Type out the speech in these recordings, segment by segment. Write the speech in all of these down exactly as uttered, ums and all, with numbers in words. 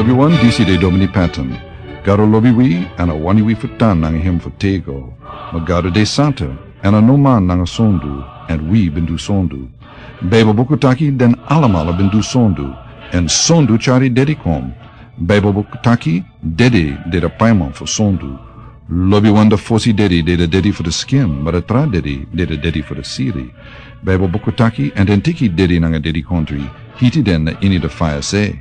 Yu wan disi de Domini Patton. Gado lobi wi, èn a wani wi fu tan nanga hem fu tego. Ma Gado de santa, èn a no man nanga sondu, èn wi ben du sondu. Baibel buku taki den alamala ben du sondu, èn sondu tyari dedi kon. Baibel buku taki dedi de de paiman fu sondu. Lobi wan de fosi dedi de de dedi fu de skin, ma de tra dedi de de dedi fu de siri. Baibel buku taki, èn den teki dedi nanga dedi kontri, hiti den na ini de faya se.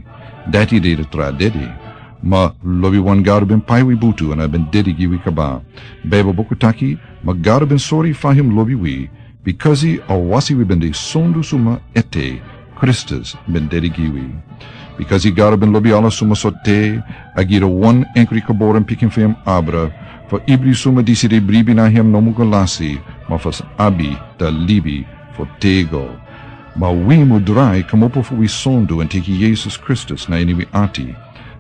Dati de de tra dedi. Ma lobi wan Gado ben pai wi butu èn a ben dedi gi wi kaba. Baibel buku taki, ma Gado ben sori fa hem lobi wi, bikasi a wasi wi ben de sondu suma ete, Kristus ben dedi gi wi. Bikasi Gado ben lobi ala suma so te, a gi de wan enkri kaboren pikin fu hem abra, fu ibri suma disi de bribi na hem no mu go lasi, ma fu abi de libi fu tego. Ma wi mu drai kmopo fu wi sondu èn teki Yesus Kristus na ini wi ati.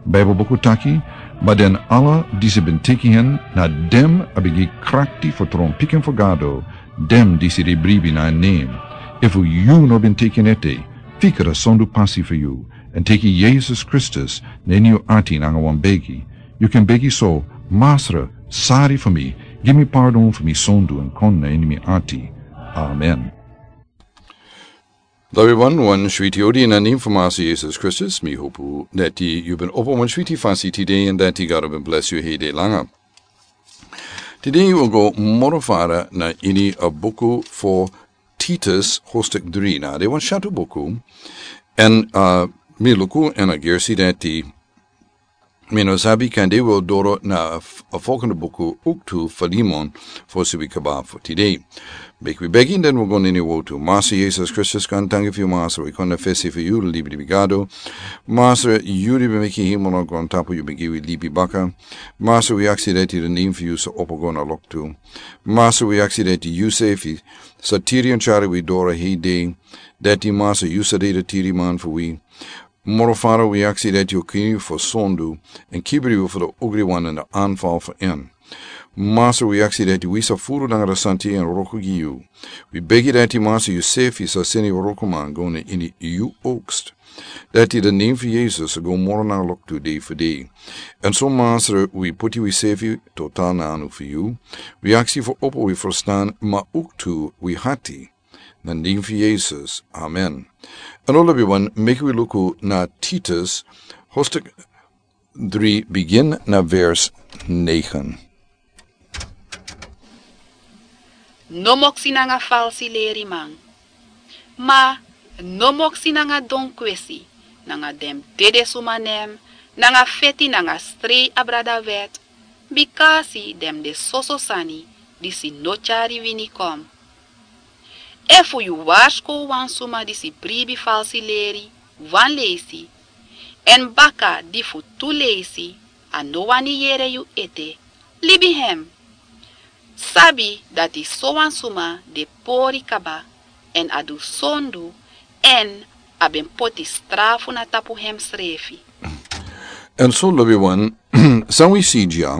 Baibel buku taki, ma den ala disi ben teki hen, na dem a ben gi krakti fu tron pikin fu Gado, dem disi de bribi na en nem. Efu yu no ben teki en ete, fika de sondu pasi fu yu, èn teki Yesus Kristus na ini yu ati nanga wan begi. Yu kan begi so, Masra, sari fu mi, gi mi pardon fu mi sondu èn kon na ini mi ati. Amen. Lobi wan, wan switi odi na nen fu Masra Yesus Kristus, mi hopu dati yu ben opo wan switi fasi tide èn dati Gado ben bless yu hei de langa. Tide yu o go moro fara na ini a buku fu Titus, hostik dri na. De wan shatu buku, èn, uh, mi luku èn a gersi dati mi no sabi kan de wi o doro na f-, a folgende buku, Uktu Filemon, fosi wi kaba fu tide. Meki wi begi, den wi go na ini a wotu. Masra Yesus Kristus, gaantangi fu yu, Masra, wi kon na fesi fu yu, libi libi Gado. Masra, yu di ben meki hemel nanga grontapu, yu ben gi wi libi baka. Masra, wi aksi dati den nen fu yu sa opo go na loktu. Masra, wi aksi dati yu sefi sa tiri èn tyari wi doro hei de. Dati Masra, yu sa de de tiri man fu wi. Moro fara wi aksi dati yu kini fu sondu, èn kibri wi fu de ogri wan èn de anval fu en. Masra, wi aksi dati wi sa furu nanga de santi èn wroko gi yu. Wi begi dati Masra, yu sefi sa seni wrokoman go na ini yu oogst. Dati de nen fu Yesus go moro nanga loktu dei fu dei. Èn so Masra, wi poti wi sefi total na anu fu yu. Wi aksi fu opo wi ferstan, ma owktu wi ati. Na nen fu Yesus. Amen. Èn lobi wan, meki wi luku na Titus, hostik dri, bigin na vers negen. No moksi nanga falsi leriman. Ma no moksi nanga don kwesi, nanga den dede suma nen, nanga feti nanga strei abra dan wet, bikasi den de soso sani disi no tyari wini kon. Efu yu warskow wan suma disi bribi falsi leri wan leisi, èn baka di fu tu leisi a no wani yere yu ete, libi hem. Sabi dati sowan suma de pori kaba, èn a du sondu, èn a ben poti strafu na tapu hemsrefi. Èn so lobi wan, san wi si dya,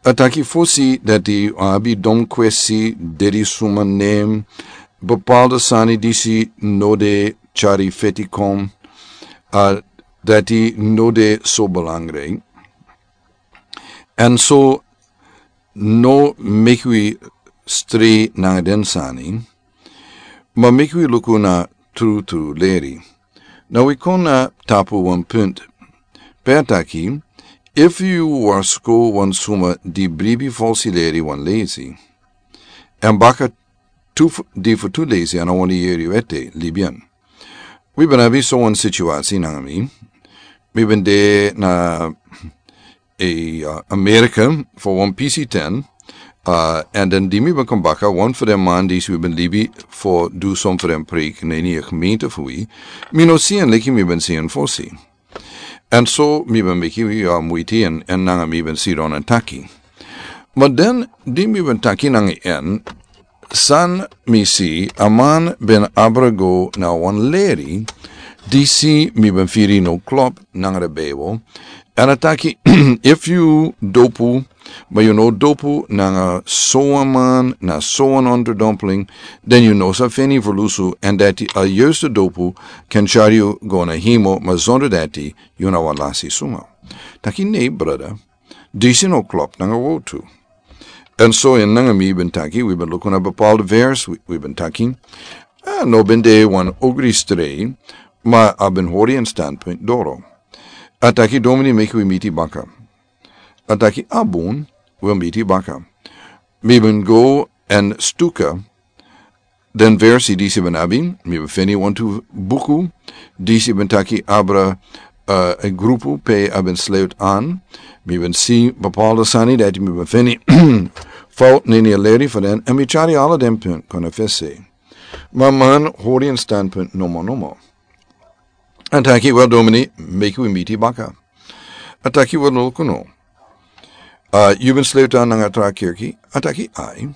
a taki fosi dati a abi don kwesi, dede suma nen, bepaalde sani disi no de tyari feti kon, a dati no de so belangrijk. Èn so no meki wi strei nanga den sani, ma meki wi luku na trutru leri. Na wi kon na tapu wan punt. Pe a taki, efu yu warskow wan suma di bribi falsi leri wan leisi, èn baka tu fu-, di fu tu leisi a no wani yere yu ete, libi en. Wi ben abi so wan situasi nanga mi. Mi ben de na e, uh, Amerika fu wan pisi ten. Uh, èn den di mi ben kon baka, wan fu den man disi wi ben libi fu du son fu den preek na ini a gemeente fu wi. Mi no si en leki mi ben si en fosi. Èn so mi ben meki wi, uh, muiti èn, èn nanga mi ben sidon èn taki. Ma den di mi ben taki nanga en, san mi si, a man ben abra go na wan leri disi mi ben firi no klop nanga de Bijbel. Èn a taki, efu yu dopu, Ma yu no dopu nanga sowan man na sowan onderdompeling, den yu no sa feni fu lusu, èn dati a yuiste dopu kan tyari yu go na hemel, ma zonder dati yu na wan lasi suma. Taki nei, brada, disi no klop nanga wowtu. Èn so yu nanga mi ben taki, wi ben luku na bepaalde vers, wi, wi ben taki, a no ben de wan ogri strei, ma a ben hori en standpunt doro. A taki, domini, meki wi miti baka. A taki, a bun, wi o miti baka. Mi ben go èn stuka den versi disi ben abi, mi ben feni wantu buku disi ben taki abra, eh, e grupu pe a ben sluit aan. Mi ben si bepaalde sani dati mi ben feni fout neni a leri fu den, èn mi tyari ala den punt kon a fesi. Ma man hori en standpunt nomo nomo. A taki, wel, domini, meki wi miti baka. A taki, wel, luku no. A, yu ben sluit aan nanga tra kerki? A taki, ai.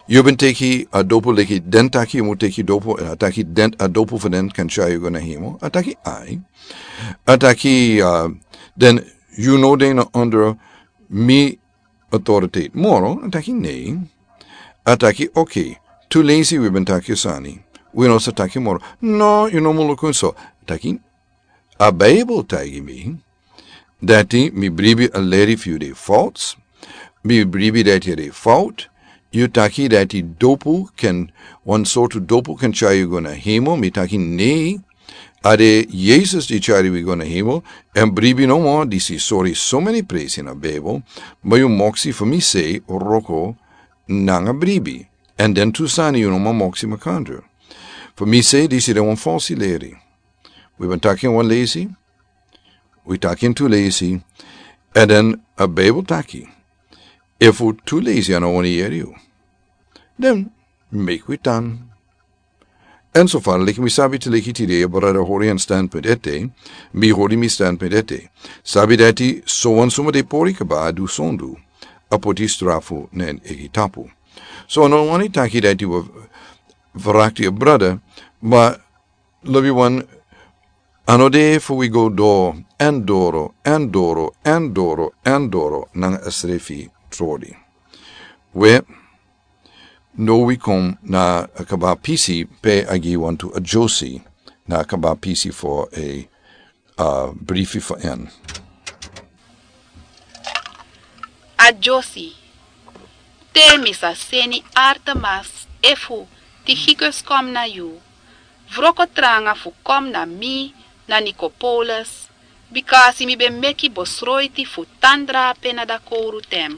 Yu ben teki a dopu leki den taki yu mu teki dopu, èn a taki den a dopu fu den kan tyari yu go na hemel? A taki, ai. A taki, a, den yu no de na onder mi autoriteit moro? A taki, nei. A taki, oké. Tu leisi wi ben taki sani. Wi no sa taki moro. No, yu no mu luku en so. A taki, a Bijbel taigi mi dati mi bribi a leri fu yu de fout. Mi bribi dati a de fout. Yu taki dati dopu kan, wan sortu dopu kan tyari yu go na hemel. Mi taki nei. A de Yesus di tyari wi go na hemel. Èn bribi nomo, disi sori someni presi na Bijbel. Ma yu moksi fu mi sei wroko nanga bribi. Èn den tu sani yu no man moksi makandra. Fu mi sei disi de wan falsi leri. Wi ben taki en wan leisi, wi taki en tu leisi, èn den a Bijbel taki, efu tu leisi a no wani yere yu, den meki wi tan. Èn so far leki mi sabi, te leki tide a brada hori en standpunt ete, mi hori mi standpunt ete. Sabi dati sowan suma de pori kaba a du sondu, a poti strafu na en eigi tapu. So a no wani taki dati wi vrakti a brada, ma lobi wan, a no de fu wi go doro èn doro èn doro èn doro èn doro nanga a srefi tori. We, no wi kon na a kaba pisi pe a gi wantu a dyosi na a kaba pisi fu a, a brifi fu en. A dyosi. Te mi sa seni Artemas efu Tikikus kon na yu, wroko tranga fu kon na mi na Nikopolus, bikasi mi ben meki besroiti fu tan drape na dakowru ten.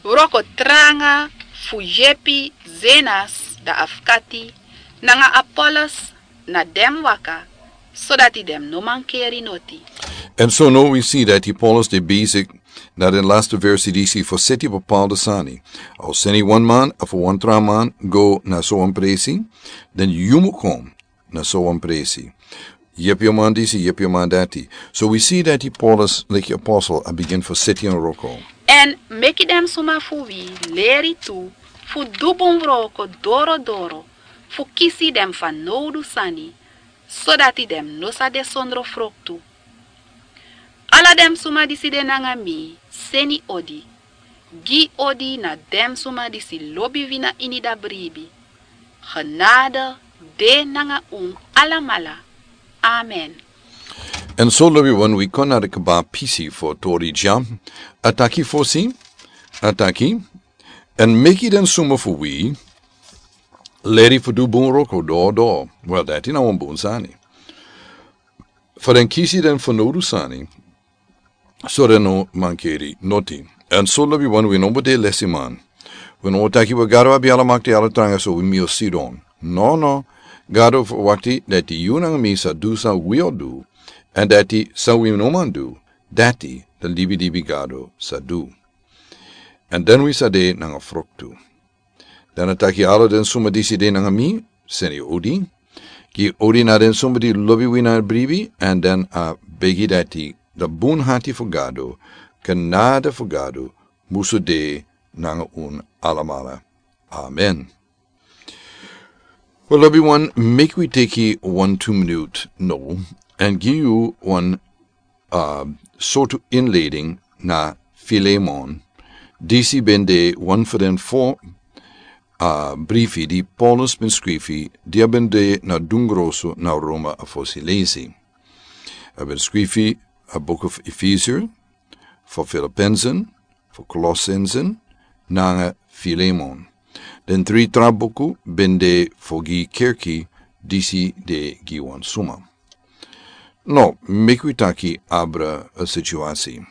Wroko tranga fu yepi Zenas da afkati nanga Apollos na den waka, sodati den no mankeri noti. Èn so now wi si dati Paulus de bezig na den laste versi disi fu seti bepaalde sani. A o seni wan man efu wan tra man go na so wan presi, den yu mu kon na so wan presi. Yepi a man disi, yepi a man dati. So wi si dati Paulus, leki apostel, a bigin fu seti en wroko. Èn meki den suma fu wi leri tu fu du bun wroko doro doro, fu kisi den fanowdu sani, sodati den no sa de sondro froktu. Ala den suma disi de nanga mi seni odi. Gi odi na den suma disi lobi wi na ini da bribi. Genade de nanga un alamala. Amen. Èn so lobi wan, wi kon na de kaba pisi fu tori dya. A taki fosi, a taki, èn meki den suma fu wi leri fu du bun wroko doro doro. Wel, dati na wan bun sani. Fu den kisi den fanowdu sani, so den no mankeri noti. Èn so lobi wan, wi no mu de lesiman. Wi no mu taki, we, Gado abi ala makti, ala tranga, so wi mu sidon. No, no. Gado fu wakti dati yu nanga mi sa du san wi o du. Èn dati san wi no man du, dati den libi libi Gado sa du. Èn den wi sa de nanga froktu. Dan a taki, ala den suma disi de nanga mi, seni odi. Gi odi na den suma di lobi wi na bribi, èn dan a begi dati da bun hati fu Gado, genade fu Gado, musu de nanga un alamala. Amen. Wel, lobi wan, meki wi teki wan tu minut now, èn gi yu wan, a, sortu inleiding na Filemon, disi ben de wan fu den fo, a brifi di Paulus ben skrifi di a ben de na dungroso na Roma a fosi leisi. A ben skrifi a book of Efesier, fo Filipensen, fo Kolosensen, nanga Filemon. Den tri tra buku ben de fo gi kerki disi de gi wan suma. No, meki wi taki abra a situasi.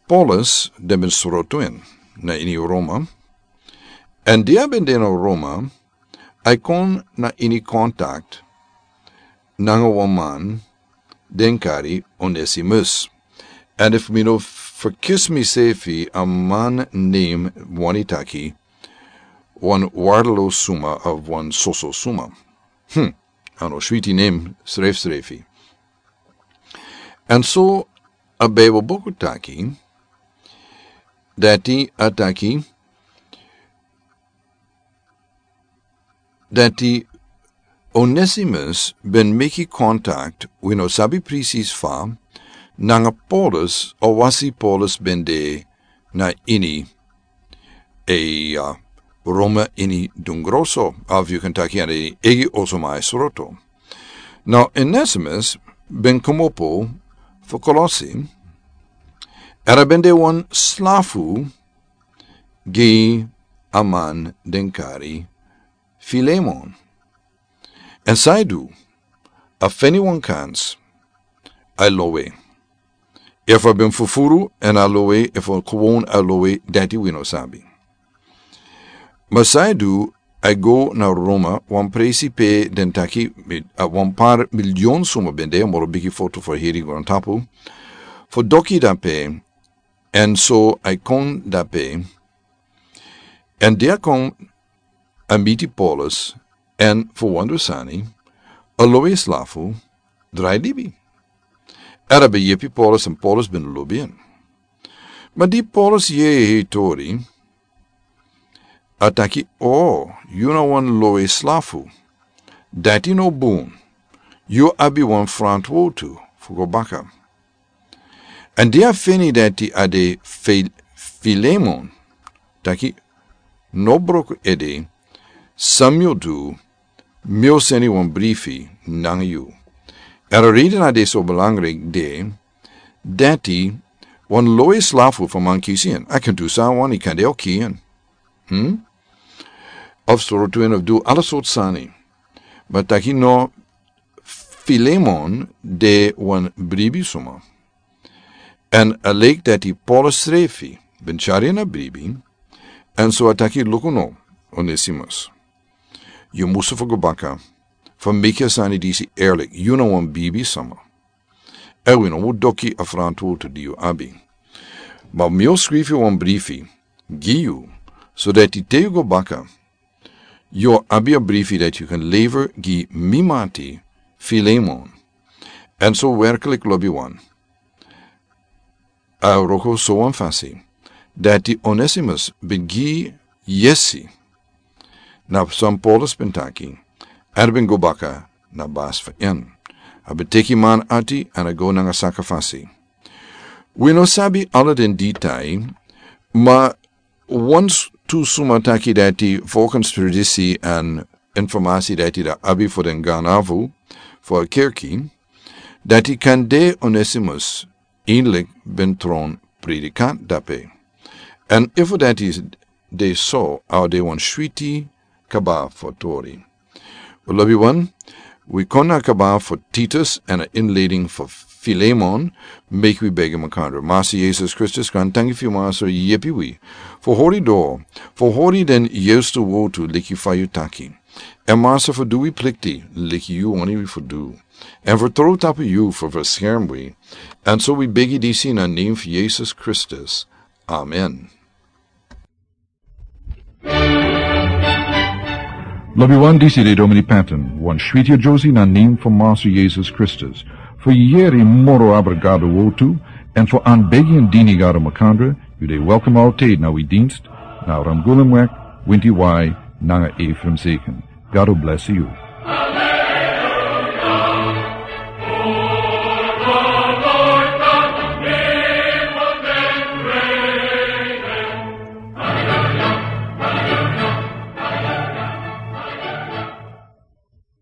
Paulus den ben sroto en na ini Roma. Èn di a ben de na Roma, a e kon na ini kontakt nanga wan man den kari Onesimus. Èn efu mi no ferkisi misefi, a man nen wani taki wan wardeloso suma of wan soso suma. Hmm. A no switi nen srefsrefi. Èn so a Bijbel buku taki dati a taki dati Onesimus ben meki kontakt, wi no sabi presis fa, nanga Paulus, a wasi Paulus ben de na ini e, uh, Roma ini dungroso, of yu kan taki ini egi oso mai sroto. Now, Onesimus ben komopo fo Kolosi, èn a ben de wan slafu gi a man den kari Filemon. Èn san a e du, a feni wan kans, a e lowe. Efu a ben fufuru èn a lowe, efu a kwon a lowe, dati wi no sabi. Ma san a e du, a e go na Roma, wan presi pe den taki, mi-, a wan par miliyon suma ben de, moro bigi foto fo heri grontapu, fo doki dape, èn so a e kon dape, èn di a kon a miti Paulus, èn fu wan du sani, a lowe slafu drai libi. Èn a ben yepi Paulus èn Paulus ben lobi en. Ma di Paulus yere a tori, a taki, "O, yu na wan lowe slafu. Dati no bun. Yu abi wan frantwortu fu go baka." Èn di a feni dati a de Fi-, Filemon, taki, "No broko ede, san mi o du, mi o seni wan brifi nanga yu." Èn a reden a de so belangrijk de, dati wan lowe slafu fu man kisi en, a kan du san a wani, kande a o kisi en. Hmm? Of sroto en of du ala sortu sani. Ma taki no, Filemon de wan bribi suma. Èn a leki dati Paulus srefi ben tyari en na bribi, èn so a taki, "Luku no, Onesimus. Yu musu fu go baka, fu meki a sani disi eerlijk, yu na wan bribi suma. Èn wi no mu doki a frantwortu di yu abi. Ma mi o skrifi wan brifi gi yu, so dati te yu go baka, yu o abi a brifi dati yu kan lever gi mi mati Filemon." Èn so werkelijk, lobiwan, a wroko so wan fasi dati Onesimus ben gi yesi na san Paulus ben taki, èn a ben go baka na basi fu en. A ben teki man ati èn a go nanga saka fasi. Wi no sabi ala den detail, ma wan s-, tu suma taki dati, volgens tradisi èn informasi dati a abi fu den ganavu fu a kerki, dati kande Onesimus eindelijk ben tron predikant dape. Èn efu dati de so, a o de wan switi kaba fu tori. Lobiwan, wi kon na kaba fu Titus èn a inleiding fu Filemon, meki wi begi makandra. Massa Yesus Kristus, grantangi fu yu, Massa, yepi wi fu hori doro, fu hori den yestu wortu leki fa yu taki. Èn Massa, fu du wi plikti leki yu wani wi fu du. Èn fu tron tapu yu fu beskerm wi. Èn so wi begi disi na nen fu Yesus Kristus. Amen. Lobiwan, disi de Domini Patton, wan switi a Josie na nen fu Massa Yesus Kristus. Fu yere moro abra Gado wortu, èn fu anbegi èn dini Gado makandra, yu de welkom altijd na wi dienst, na Ramgulemweg, winti wai, nanga Ephraim Zeken. Gado bless yu.